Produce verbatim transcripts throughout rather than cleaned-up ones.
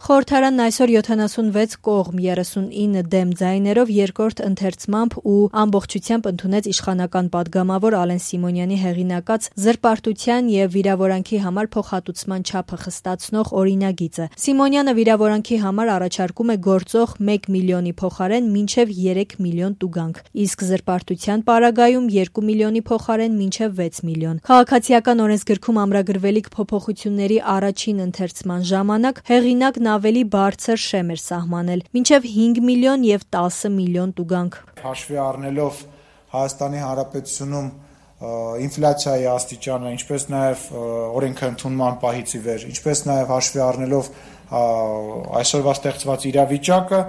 Խորհրդարանն այսօր յոթանասունվեց կողմ երեսունինը դեմ ձայներով երկրորդ ընթերցմամբ ու ամբողջությամբ ընդունեց իշխանական պատգամավոր Ալեն Սիմոնյանի հեղինակած զրպարտության և վիրավորանքի համար փոխհատուցման չափը խստացնող օրինագիծը։ Սիմոնյանը վիրավորանքի համար առաջարկում է գործող մեկ միլիոնի փոխարեն մինչև երեք միլիոն տուգանք, իսկ զրպարտության պարագայում երկու միլիոնի փոխարեն մինչև վեց միլիոն։ Քաղաքացիական օրենսգրքում ամրագրվելիք փոփոխությունների առաջին ընթերցման ժամանակ հեղինակն ավելի բարձր շեմ էր սահմանել՝ մինչև հինգ միլիոն և տասը միլիոն տուգանք։ Հաշվի առնելով Հայաստանի Հանրապետությունում ինֆլյացիայի աստիճանը, ինչպես նաև օրենքը ընդունման պահից ի վեր, ինչպես նաև հաշվի առնելով այսօրվա ստեղծված իրավիճակը,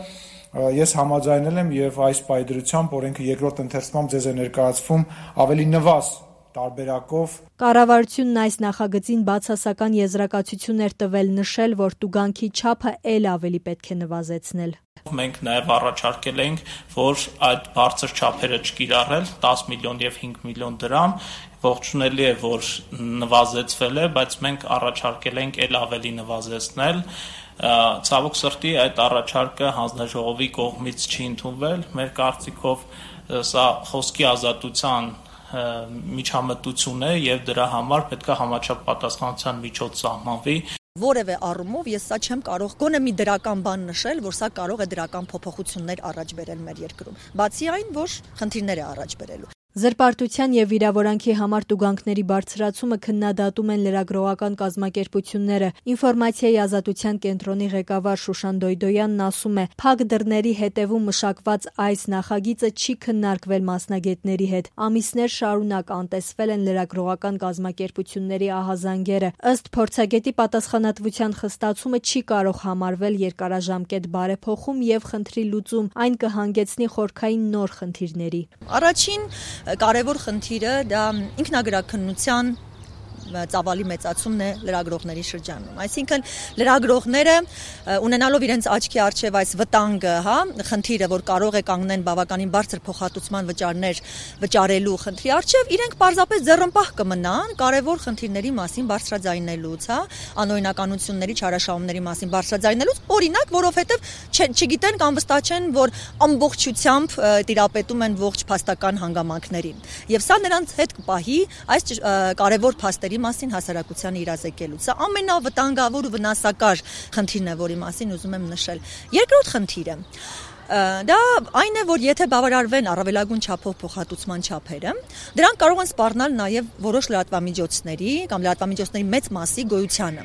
ես համաձայնել եմ եւ այս պայդրությամբ օրենքը երկրորդ ընթերցմամբ ձեզ է ներկայացվում ավելի նվազ տարբերակով։ Կառավարությունն այս նախագծին բացասական եզրակացություն էր տվել, նշել, որ տուգանքի չափը էլ ավելի պետք է նվազեցնել։ Մենք նաև առաջարկել ենք, որ այդ բարձր չափերը չկիրառել տաս միլիոն և հինգ միլիոն դրամ, ողջունելի է, որ նվազեցվել է, բայց մենք առաջարկել ենք էլ ավելի նվազեցնել։ Ցավոք սրտի այդ առաջարկը հանձնաժողովի կողմից չի ընդունվել։ Մեր կարծիքով սա խոսքի ազատության միջամտություն է եւ դրա համար պետք է համաչափ պատասխանատվության միջոց սահմանվի։ Որևէ առումով ես սա չեմ կարող գոնե մի դրական բան նշել, որ սա կարող է դրական փոփոխություններ առաջ բերել մեր երկրում, բացի այն, որ խնդիրներ է առաջ բերելու։ Զրպարտության և վիրավորանքի համար տուգանքների բարձրացումը քննադատում են լրագրողական կազմակերպությունները։ Ինֆորմացիայի ազատության կենտրոնի ղեկավար Շուշան Դոյդոյանն ասում է, փակ դռների հետևում մշակված այս նախագիծը չի քննարկվել մասնագետների հետ։ Ամիսներ շարունակ անտեսվել են լրագրողական կազմակերպությունների ահազանգերը։ Ըստ փորձագետի, պատասխանատվության խստացումը չի կարող համարվել երկարաժամկետ բարեփոխում և խնդրի լուծում, այն կհանգեցնի խորքային նոր խնդիրների։ Առաջին կարևոր խնդիրը դա ինքնագրաքննության ծավալի մեծացումն է լրագրողների շրջանում։ Այսինքն լրագրողները ունենալով իրենց աչքի առջև այս վտանգը, հա, խնդիրը, որ կարող է կանգնեն բավականին բարձր փոխհատուցման վճարներ վճարելու խնդրի առջև, իրենք պարզապես ձեռնպահ կմնան կարևոր խնդիրների մասին բարձրաձայնելուց, հա, անօրինականությունների, չարաշահումների մասին բարձրաձայնելուց, օրինակ, որովհետև չգիտեն կամ վստահ չեն, որ ամբողջությամբ տիրապետում են ողջ փաստական հանգամանքներին։ Եվ սա նրանց հետ կպահի այս կարևոր փաստերի մասին հասարակությանը իրազեկելու։ Սա ամենավտանգավոր ու վնասակար խնդիրն է, որի մասին ուզում եմ նշել։ Երկրորդ խնդիրը դա այն է, որ եթե բավարարվեն առավելագույն չափով փոխհատուցման չափերը, դրանք կարող են սպառնալ նաև որոշ լրատվամիջոցների կամ լրատվամիջոցների մեծ մասի գոյությանը։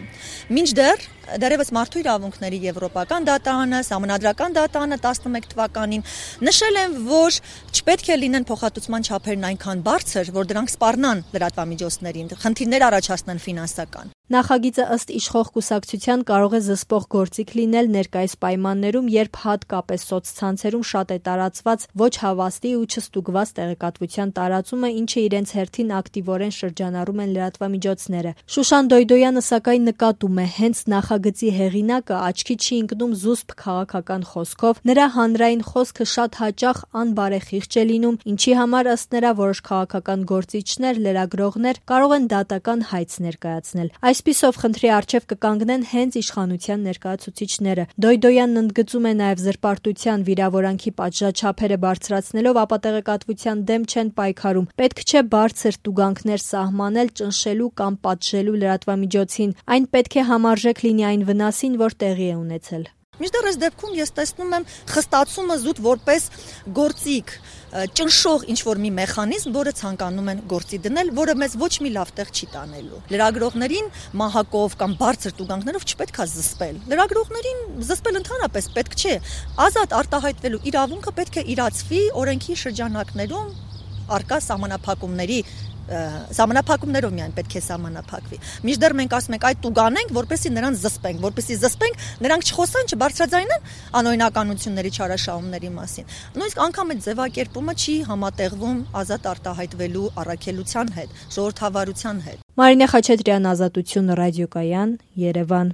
Մինչդեռ դեռևս մարդու իրավունքների եվրոպական դատարանը, սահմանադրական դատարանը տասնմեկ թվականին նշել են, որ չպետք է լինեն փոխհատուցման չափերն այնքան բարձր, որ դրանք սպառնան լրատվամիջոցներին, խնդիրներ առաջացնեն ֆինանսական։ Նախագիծը ըստ իշխող կուսակցության կարող է զսպող գործիք լինել ներկայիս պայմաններում, երբ հատկապես սոցցանցերում շատ է տարածված ոչ հավաստի ու չստուգված տեղեկատվության տարածումը, ինչը իրենց հերթին ակտիվորեն շրջանառում են լրատվամիջոցները։ Շուշան Դոյդոյանը սակայն նկատում է, հենց նախագծի հեղինակը աչքի չի ընկնում զուսպ քաղաքական խոսքով, նրա հանրային խոսքը շատ հաճախ անբարեխիղճ է լինում, ինչի համար ըստ նրա որոշ քաղաքական գործիչներ, լրագրողներ կարող են դատական հայց ներկայացնել։ Այսպիսով խնդրի առջև կկանգնեն հենց իշխանության ներկայացուցիչները։ Դոյդոյանն ընդգծում է նաև զրպարտության, վիրավորանքի պատժաչափերը բարձրացնելով ապատեղեկատվության դեմ չեն պայքարում։ Պետք չէ բարձր տուգանքներ սահմանել ճնշելու կամ պատժելու լրատվամիջոցին։ Այն պետք է համարժեք լինի այն վնասին, որ տեղի է ունեցել։ Մինչդեռ այս դեպքում ես տեսնում եմ խստացումը զուտ որպես գործիք, ճնշող ինչ-որ մի մեխանիզմ, որը ցանկանում են գործի դնել, որը մեզ ոչ մի լավ տեղ չի տանելու։ Լրագրողներին մահակով կամ բարձր տուգանքներով չպետք է զսպել։ Լրագրողներին զսպել ընդհանրապես պետք չէ։ Ազատ արտահայտվելու իրավունքը պետք է իրացվի օրենքի շրջանակներում առկա սահմանափակումների Սահմանափակումներով միայն պետք է սահմանափակվի։ Մինչդեռ մենք ասում ենք այդ տուգանենք, որպեսզի նրանց զսպենք, որպեսզի զսպենք, նրանք չխոսան, չբարձրաձայնեն անօրինականությունների, չարաշահումների մասին։ Նույնիսկ անգամ այդ ձևակերպումը չի համատեղվում ազատ արտահայտվելու առաքելության հետ, ժողովրդավարության հետ։ Մարինե Խաչատրյան, Ազատություն ռադիոկայան, Երևան։